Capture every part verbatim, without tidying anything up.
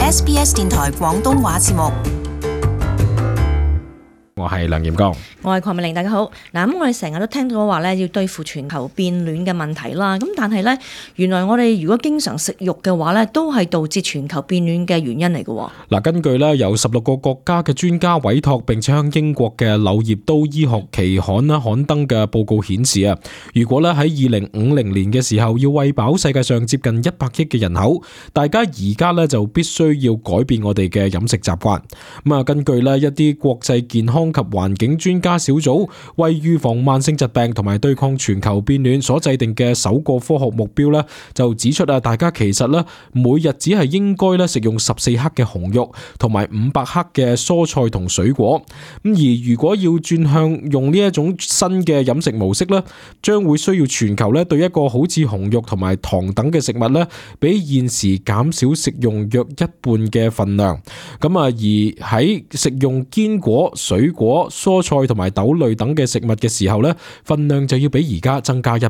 S B S 電台廣東話節目。我係梁炎剛，我係鄺美玲，大家好。嗱，咁我哋成日都聽到話咧，要對付全球變暖嘅問題啦。咁但係咧，原來我哋如果經常食肉嘅話咧，都係導致全球變暖嘅原因嚟嘅。嗱，根據咧由十六個國家嘅專家委託，並且向英國嘅柳葉刀醫學期刊啦刊登嘅報告顯示啊，如果咧喺二零五零年嘅時候要餵飽世界上接近一百億嘅人口，大家而家咧就必須要改變我哋嘅飲食習慣。咁啊，根據咧一啲國際健康及環境專家小組為預防慢性疾病同埋對抗全球變暖所制定嘅首個科學目標咧，就指出啊，大家其實咧每日只係應該咧食用十四克嘅紅肉同埋五百克嘅蔬菜同水果。咁而如果要轉向用呢一種新嘅飲食模式咧，將會需要全球咧對一個好似紅肉同埋糖等嘅食物咧，比現時減少食用約一半嘅份量。咁啊，而喺食用堅果、水果、蔬菜同埋豆類等嘅食物嘅時候咧，份量就要比而家增加一倍。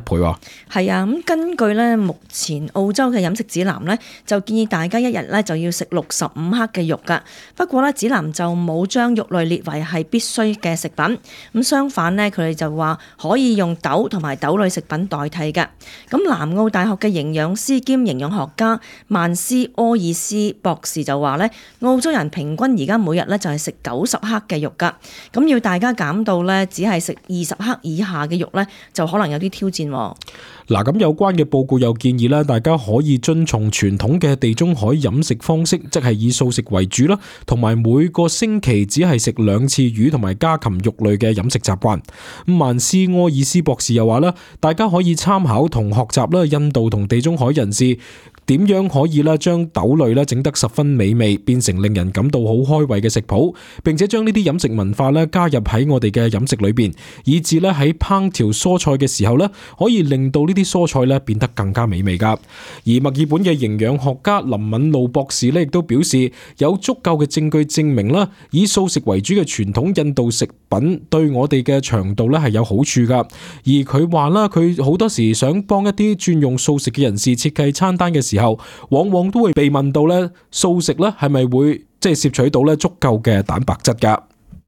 係啊，咁根據咧目前澳洲嘅飲食指南咧，就建議大家一日咧就要食六十五克嘅肉噶。不過咧指南就冇將肉類列為係必須嘅食品。咁相反咧，佢哋就話可以用豆同埋豆類食品代替嘅。咁南澳大學嘅營養師兼營養學家曼斯柯爾斯博士就話咧，澳洲人平均而家每日咧就係食九十克嘅肉噶。咁要大家減到咧，只係食二十克以下嘅肉咧，就可能有啲挑戰。嗱，咁有關嘅報告又建議咧，大家可以遵從傳統嘅地中海飲食方式，即係以素食為主啦，同埋每個星期只係食兩次魚同埋家禽肉類嘅飲食習慣。咁曼斯柯爾斯博士又話咧，大家可以參考同學習啦，印度同地中海人士點樣可以咧將豆類咧整得十分美味，變成令人感到好開胃嘅食譜，並且將呢啲飲食文化咧加入喺我哋嘅飲食裏邊，以至咧喺烹調蔬菜嘅時候咧，可以令到呢啲蔬菜咧變得更加美味噶。而墨爾本嘅營養學家林敏路博士咧亦都表示，有足夠嘅證據證明啦，以素食為主嘅傳統印度食品對我哋嘅腸道咧係有好處噶。而佢話啦，佢好多時想幫一啲轉用素食嘅人士設計餐單嘅時候，往往都會被問到咧，素食咧係咪會即係攝取到咧足夠嘅蛋白質噶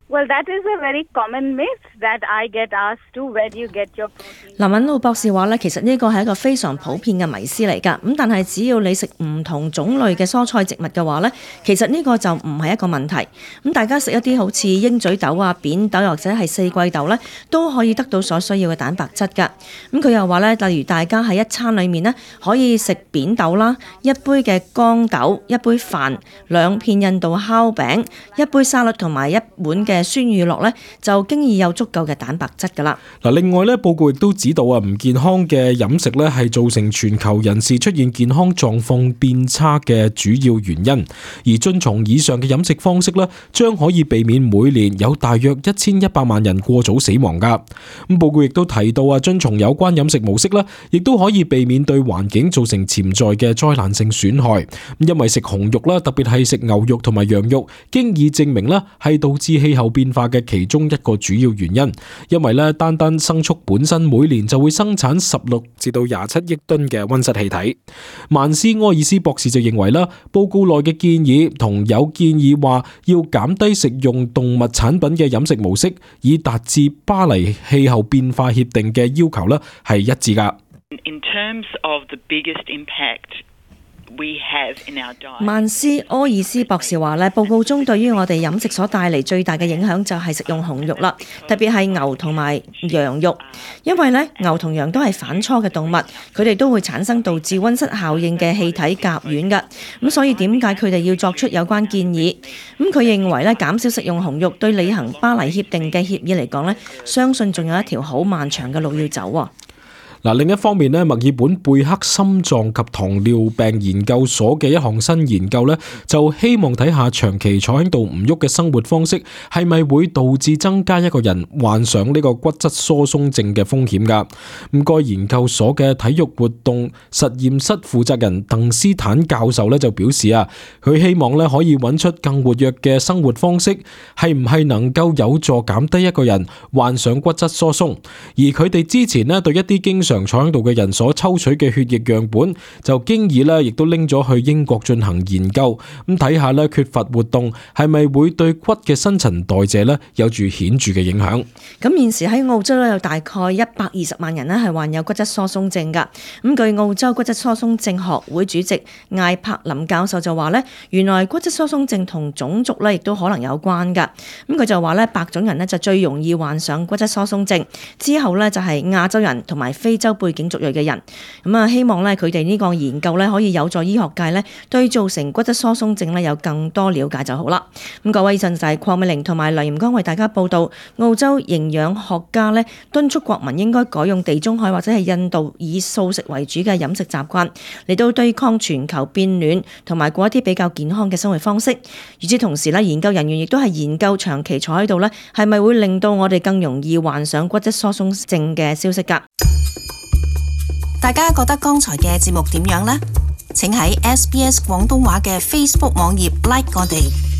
？Well, that is a very common myth that I get asked to, where do you get your protein? 林敏路博士話咧，其實呢個係一個非常普遍嘅迷思嚟㗎。咁但係只要你食唔同種類嘅蔬菜植物嘅話咧，其實呢個就唔係一個問題。咁大家食一啲好似鷹嘴豆啊、扁豆或者係四季豆咧，都可以得到所需要嘅蛋白質㗎。咁佢又話咧，例如大家喺一餐裡面咧，可以食扁豆啦，一杯嘅乾豆，一杯飯，兩片印度烤餅，一杯沙律同埋一碗嘅酸乳酪咧，就經已有足夠嘅蛋白質噶啦。嗱，另外咧，報告亦都指導啊，唔健康嘅飲食咧係造成全球人士出現健康狀況變差嘅主要原因。而遵從以上嘅飲食方式咧，將可以避免每年有大約一千一百萬人過早死亡噶。咁報告亦都提到啊，遵從有關飲食模式咧，亦都可以避免對環境造成潛在嘅災難性損害。因為食紅肉啦，特別係食牛肉同埋羊肉，經已證明啦係導致氣候變化嘅其中一個主要原因，因為咧單單牲畜本身每年就會生產十六至到廿七億噸嘅溫室氣體。曼斯柯爾斯博士就認為啦，報告內嘅建議同有建議話要減低食用動物產品嘅飲食模式，以達至巴黎氣候變化協定嘅要求咧係一致噶。In terms of the biggest impact曼斯柯爾斯博士話咧，報告中對於我哋飲食所帶嚟最大嘅影響就係食用紅肉啦，特別係牛同埋羊肉，因為咧牛同羊都係反芻嘅動物，佢哋都會產生導致溫室效應嘅氣體甲烷㗎，咁所以點解佢哋要作出有關建議？咁佢認為咧減少食用紅肉對履行巴黎協定嘅協議嚟講咧，相信仲有一條好漫長嘅路要走啊！嗱，另一方面咧，墨爾本貝克心臟及糖尿病研究所嘅一項新研究咧，就希望睇下長期坐喺度唔喐嘅生活方式係咪會導致增加一個人患上呢個骨質疏鬆症嘅風險噶。咁該研究所嘅體育活動實驗室負責人鄧斯坦教授咧就表示啊，佢希望咧可以揾出更活躍嘅生活方式，係唔係能夠有助減低一個人患上骨質疏鬆。而佢哋之前咧對一啲經常常坐喺度嘅人所抽取嘅血液樣本，就經已咧亦都拎咗去英國進行研究，咁睇下咧缺乏活動係咪會對骨嘅新陳代謝咧有住顯著嘅影響。咁現時喺澳洲咧有大概一百二十萬人咧係患有骨質疏鬆症㗎。咁據澳洲骨質疏鬆症學會主席艾柏林教授就話咧，原來骨質疏鬆症同種族咧亦都可能有關㗎。咁佢就話咧，白種人咧就最容易患上骨質疏鬆症，之後咧就係亞洲人同埋非洲背景族裔嘅人。咁啊，希望咧佢哋呢個研究咧可以有助醫學界咧對造成骨質疏鬆症咧有更多了解就好啦。咁各位，以上就係鄺美玲同埋梁炎光為大家報道，澳洲營養學家咧敦促國民應該改用地中海或者係印度以素食為主嘅飲食習慣，嚟到對抗全球變暖同埋過一啲比較健康嘅生活方式。與此同時咧，研究人員亦都係研究長期坐喺度咧係咪會令到我哋更容易患上骨質疏鬆症嘅消息㗎。大家覺得剛才嘅節目點樣呢？請喺 S B S 廣東話嘅 Facebook 網頁 like 我哋。